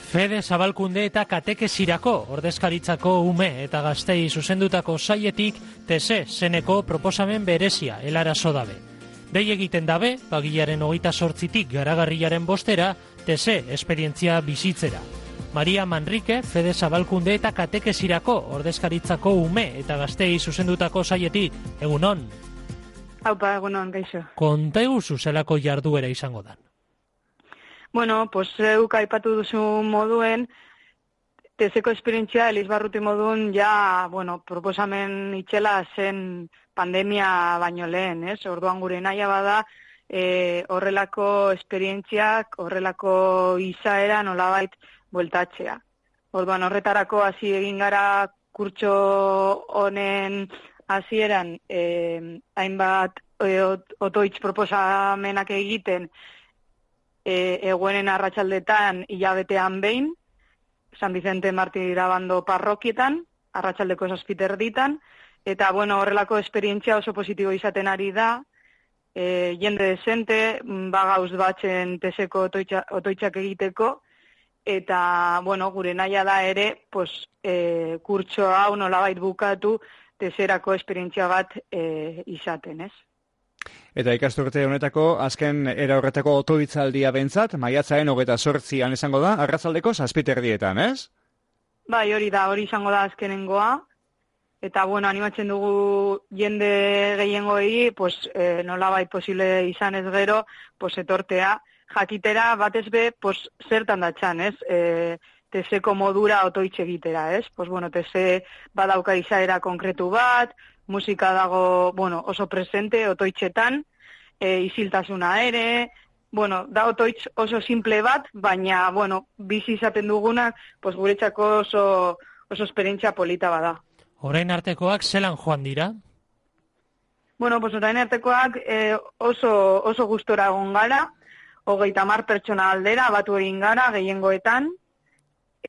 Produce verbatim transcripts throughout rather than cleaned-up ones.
Fede Zabalkunde eta katekesirako ordezkaritzako ume eta gaztei zuzendutako saietik tese zeneko proposamen berezia helarazo dabe. Dei egiten dabe, bagilaren hogeita sortzitik garagarriaren bostera, tese esperientzia bizitzera. Maria Manrique, Fede Zabalkunde eta katekesirako ordezkaritzako ume eta gaztei zuzendutako saietik, egunon? Haupa, egunon, gaixo. Konta eguzu zelako jarduera izango dan? Bueno, pues zeuk aipatu duzu moduen, teseko esperientzia Elizbarruti modun ja, bueno, proposamen itxela zen pandemia baino lehen, ez? Orduan gure naia bada, e, horrelako esperientziak, horrelako izaera nolabait bueltatzea. Orduan horretarako hasi egin gara kurtso honen hasieran e, hainbat e, otoitz proposamenak egiten, E, eguenen arratsaldetan hilabetean behin, San Vicente Martirabando parrokietan, arratsaldeko zazpiterditan, eta bueno, horrelako esperientzia oso positibo izaten ari da, e, jende desente, bagauz batzen teseko otoitza, otoitzak egiteko, eta bueno, gure naia da ere, pues, e, kurtso hau nolabait bukatu, teserako esperientzia bat e, izaten, ez? Eta ikasturte honetako, azken era horretako otoitzaldia bentzat, maiatzaren hogeita zortzian izango da, arratsaldeko zazpiterdietan, ez? Bai, hori da, hori izango da azkenengoa. Eta, bueno, animatzen dugu jende gehiengoei, pues, eh, nolabait posible izan ez gero, pues, etortea, jakitera batez be, pues, zertan datxan, ez? E, teseko modura otoitz egitera, ez? Pues, bueno, tese badauka izaera konkretu bat, musika dago, bueno, oso presente, otoitzetan, e, isiltasuna ere, bueno, da otoitz oso simple bat, baina, bueno, bizi izaten dugunak, pues guretzako oso, oso esperientzia polita bada. Orain artekoak zelan joan dira? Bueno, pues orain artekoak e, oso, oso gustora egon gara, hogeita hamar pertsona aldera, batu egin gara, gehiengoetan,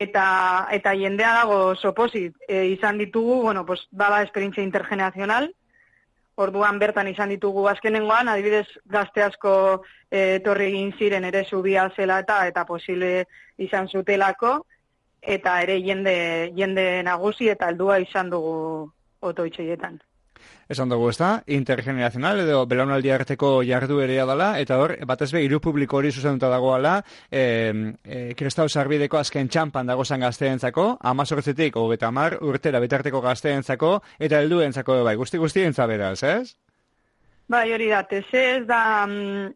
Eta, eta jendea dago oso posit. E, izan ditugu, bueno, pues, bada esperientzia intergenerazional, orduan bertan izan ditugu azkenengoan, adibidez gazte asko e, etorri egin ziren ere zubia zela eta eta posible izan zutelako, eta ere jende, jende nagusi eta heldua izan dugu otoitzeietan. Esan dugu, ez da, intergenerazional edo belaunaldi arteko jarduerea dela, eta hor, batez be, hiru publiko hori zuzenduta dagoala, e, e, kristau sarbideko azken txampan dagozan gazteentzako, amazortzitik, hogeita hamar, urtera bitarteko gazteentzako, eta helduentzako bai, guzti-guztientza beraz, ez? Bai, hori da, tese ez da mm,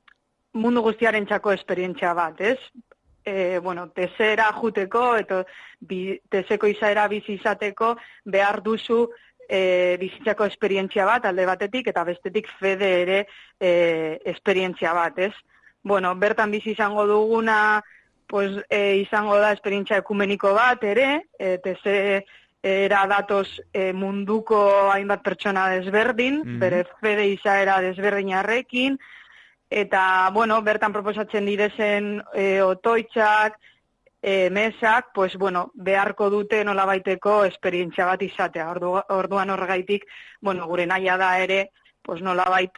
mundu guztiarentzako esperientzia bat, ez? E, bueno, tesera juteko, eta bi, teseko izaera bizi izateko behar duzu E, bizitzako esperientzia bat, alde batetik, eta bestetik Fede ere e, esperientzia bat, ez? Bueno, bertan bizi izango duguna, pues, e, izango da esperientzia ekumeniko bat ere, e, teze era datoz e, munduko hainbat pertsona desberdin, mm-hmm. bere Fede izaera desberdinarrekin, eta, bueno, bertan proposatzen direzen e, otoitzak, E, mesak, pues, bueno, beharko dute nolabaiteko esperientzia bat izatea. Ordu, orduan horregaitik, bueno, gure naia da ere, pues, nolabait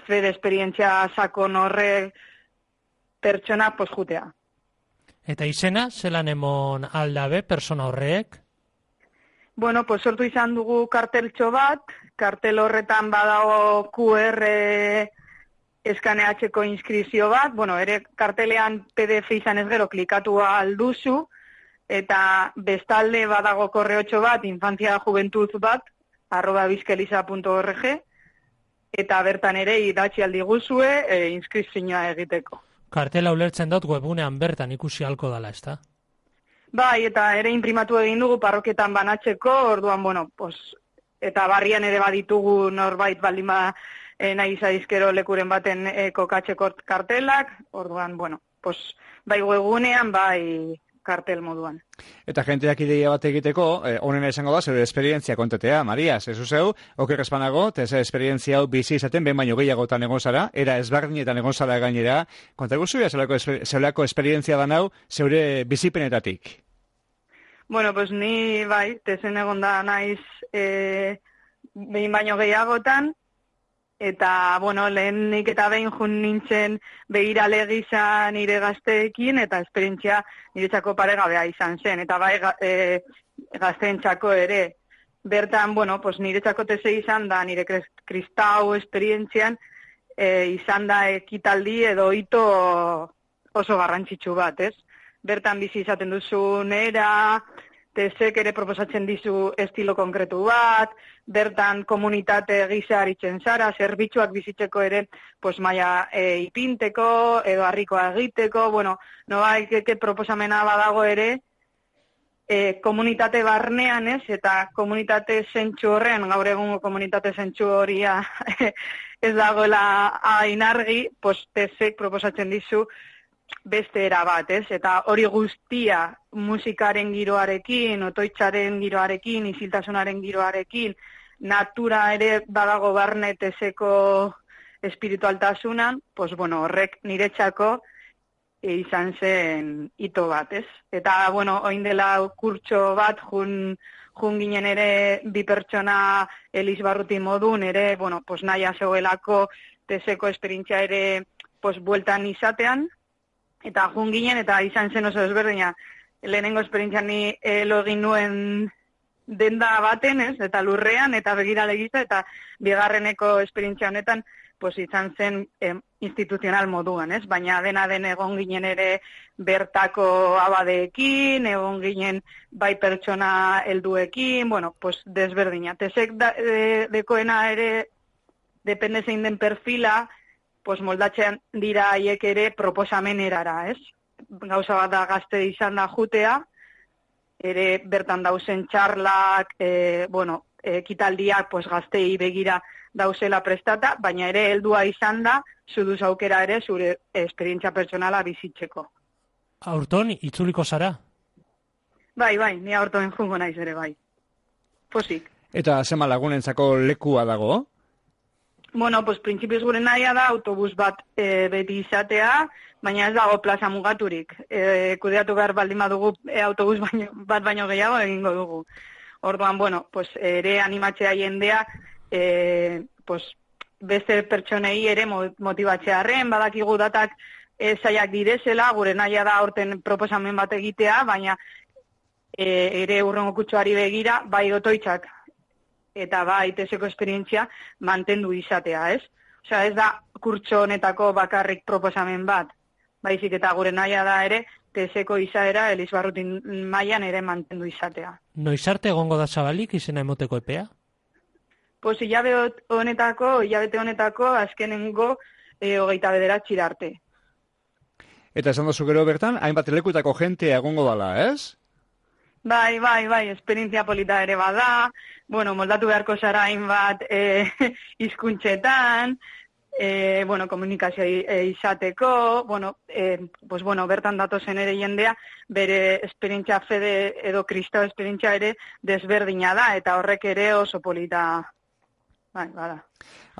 Fede esperientzia sakon horre pertsona, pues, jutea. Eta izena, zelan emon aldabe, persona horrek? Bueno, pues, sortu izan dugu karteltxo bat, kartel horretan badago Q R eskaneatzeko inskripzio bat, bueno, ere kartelean P D F izan ez gero klikatu alduzu, eta bestalde badago korreotxo bat, infantzia juventuz bat, arroba bizkeliza punto org, eta bertan ere idatzi aldi guzue e, inskripzioa egiteko. Kartela ulertzen dut webunean bertan ikusi halko dala, ezta? Bai, eta ere imprimatu egin dugu parroketan banatzeko, orduan, bueno, pues, eta barrian ere baditugu norbait baldin ba, E, nahi zaizkero lekuren baten e, kokatzeko kartelak, orduan, bueno, pues, bai webunean, bai kartel moduan. Eta jenteak ideia bat egiteko, eh, onena izango da, zeure esperientzia kontetea, Mariaz, ez zeu, oker espanago, teze esperientzia hau bizi izaten, ben baino gehiagotan egon zara, era ezberdinetan egon zara gainera, kontagu zuia zeulako esperientzia da nau, zeure bizipenetatik? Bueno, pues ni, bai, tezen egon da naiz, e, behin baino gehiagotan, Eta, bueno, lehenik eta behin jun nintzen begirale gisa nire gazteekin, eta esperientzia niretzako paregabea izan zen, eta bai e, gazteentzako ere. Bertan, bueno, pues niretzako tese izan da, nire kristau esperientzian, e, izan da ekitaldi edo hito oso garrantzitsu bat, ez? Bertan bizi izaten duzu nera, tesek ere proposatzen dizu estilo konkretu bat, bertan komunitate gisa aritzen zara, zerbitzuak bizitzeko ere, pues maia e, ipinteko, edo harrikoa egiteko, bueno, noa ikeke proposamena badago ere, e, komunitate barnean ez, eta komunitate zentsu horrean, gaur egungo komunitate zentsu horia ez dagoela ainargi, pues tesek proposatzen dizu, beste era bat, ez? Eta hori guztia musikaren giroarekin, otoitzaren giroarekin, isiltasunaren giroarekin, natura ere badago barne teseko espiritualtasunan, pues bueno, horrek niretzako e, izan zen hito bat, ez? Eta, bueno, oin dela kurtso bat, jun, jun ginen ere bi pertsona Elizbarruti modun, ere, bueno, pues nahia zegoelako teseko esperientzia ere, pues bueltan izatean, eta jun ginen, eta izan zen oso ezberdina. Lehenengo esperientzia ni elo egin nuen denda baten, ez? Eta lurrean, eta begirale gisa, eta bigarreneko esperientzia honetan, pues izan zen eh, instituzional moduan, ez? Baina dena den egon ginen ere bertako abadeekin, egon ginen bai pertsona helduekin, bueno, pues desberdina. Tesek da, de, dekoena ere, depende zein den perfila, pues moldatzen dira haiek ere proposamenerara, ez? Gauza bat da gazte izan da jutea, ere bertan dauzen txarlak, e, bueno, ekitaldiak pues gaztei begira dauzela prestata, baina ere heldua izan da, zuduz aukera ere zure esperientzia pertsonala bizitzeko. Aurton, itzuliko zara? Bai, bai, ni aurton jungo naiz ere, bai. Posik. Eta zema lagunentzako lekua dago? Bueno, pues printzipioz gure nahia da autobus bat e, beti izatea, baina ez dago plaza mugaturik. E, kudeatu behar baldin badugu e, autobus baino, bat baino gehiago egingo dugu. Orduan, bueno, pues ere animatzea jendea, e, pues beste pertsonei ere motibatzearren, badakigu datak e, zaiak direzela, gure nahia da aurten proposamen bat egitea, baina e, ere urrengo kutsuari begira, bai otoitzak, eta bai teseko esperientzia mantendu izatea, ez? Osea, ez da kurtso honetako bakarrik proposamen bat, baizik eta gure nahia da ere teseko izaera Elizbarrutin mailan ere mantendu izatea. Noiz arte egongo da zabalik izena emoteko epea? Pues hilabete honetako, hilabete honetako azkenengo e, hogeita bederatzi arte. Eta esan dozu gero bertan, hainbat lekutako jentea egongo dala, ez? Bai, bai, bai, esperientzia polita ere bada, bueno, moldatu beharko zara hainbat e, hizkuntzetan, e, bueno, komunikazioa e, izateko, bueno, e, pues, bueno, bertan datozen ere jendea, bere esperientzia fede edo kristau esperientzia ere desberdina da, eta horrek ere oso polita, bai, bada.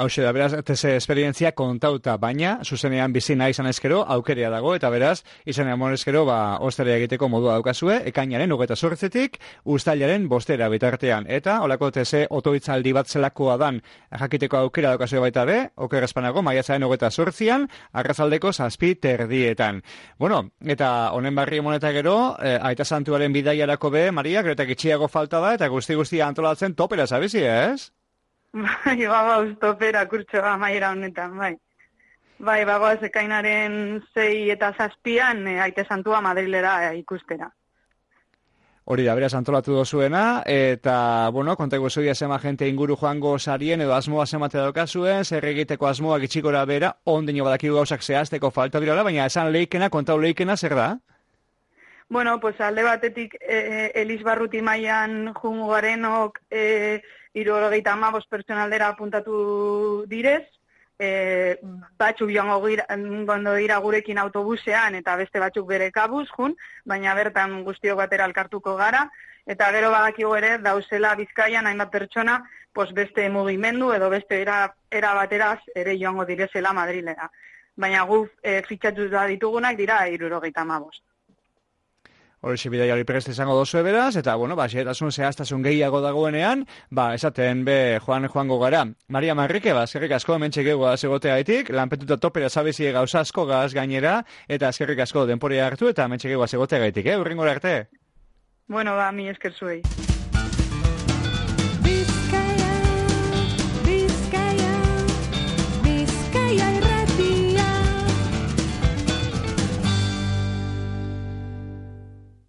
Hauxe da, beraz, tese esperientzia kontauta, baina, zuzenean bizi nahi izan ezkero, aukerea dago, eta beraz, izanean monezkero, ba, ostera egiteko modua daukazue, ekainaren hogeita zortzitik, uztailaren bostera bitartean. Eta, holako tese otoitzaldi bat zelakoa dan, jakiteko aukera daukazue baita be, oker espanago, maiatzaren hogeita zortzian, arrazaldeko zazpi terdietan. Bueno, eta honen barri emoneta gero, eh, aita santuaren bidaiarako be, Maria, gero eta gitxiago falta da, eta guzti-guzti antolatzen topera, zabizi, ez? Bai, bagoaz topera kurtsoa maiera honetan, bai. Bai, bagoaz ekainaren zei eta zazpian, e, aite santua Madrilera e, ikustera. Hori da, beraz antolatu dozuena, eta, bueno, kontako zuia zema gente inguru joango sarien, edo asmoa zemate daukazuen, zer egiteko asmoa gitxikora bera, ondino badakigu gauzak zehazteko falta dirala, baina esan leikena, kontau leikena, zer da? Bueno, pues alde batetik e, Elizbarruti mailan jungo garenok e, hirurogeita hamabost pertsonaldera apuntatu direz, e, batzuk joango gondo dira gurekin autobusean eta beste batzuk bere kabuz jun, baina bertan guztiok batera elkartuko gara, eta gero badakigu ere dauzela Bizkaian hainbat pertsona pues beste mugimendu edo beste era, era bateraz ere joango direzela Madrilera. Baina gu e, fitxatu da ditugunak dira hirurogeita hamabost. Horixe bidai hori prest izango dozu beraz, eta, bueno, ba, xeretasun zehaztasun gehiago dagoenean, ba, esaten be joan joango gara. Maria Manrike, ba, eskerrik asko hemen txekegu azegoteagaitik, lanpetuta topera zabezie gauza asko gaz gainera, eta eskerrik asko denporia hartu, eta hemen txekegu azegoteagaitik, eh, urrengora arte. Bueno, ba, mi esker zuei.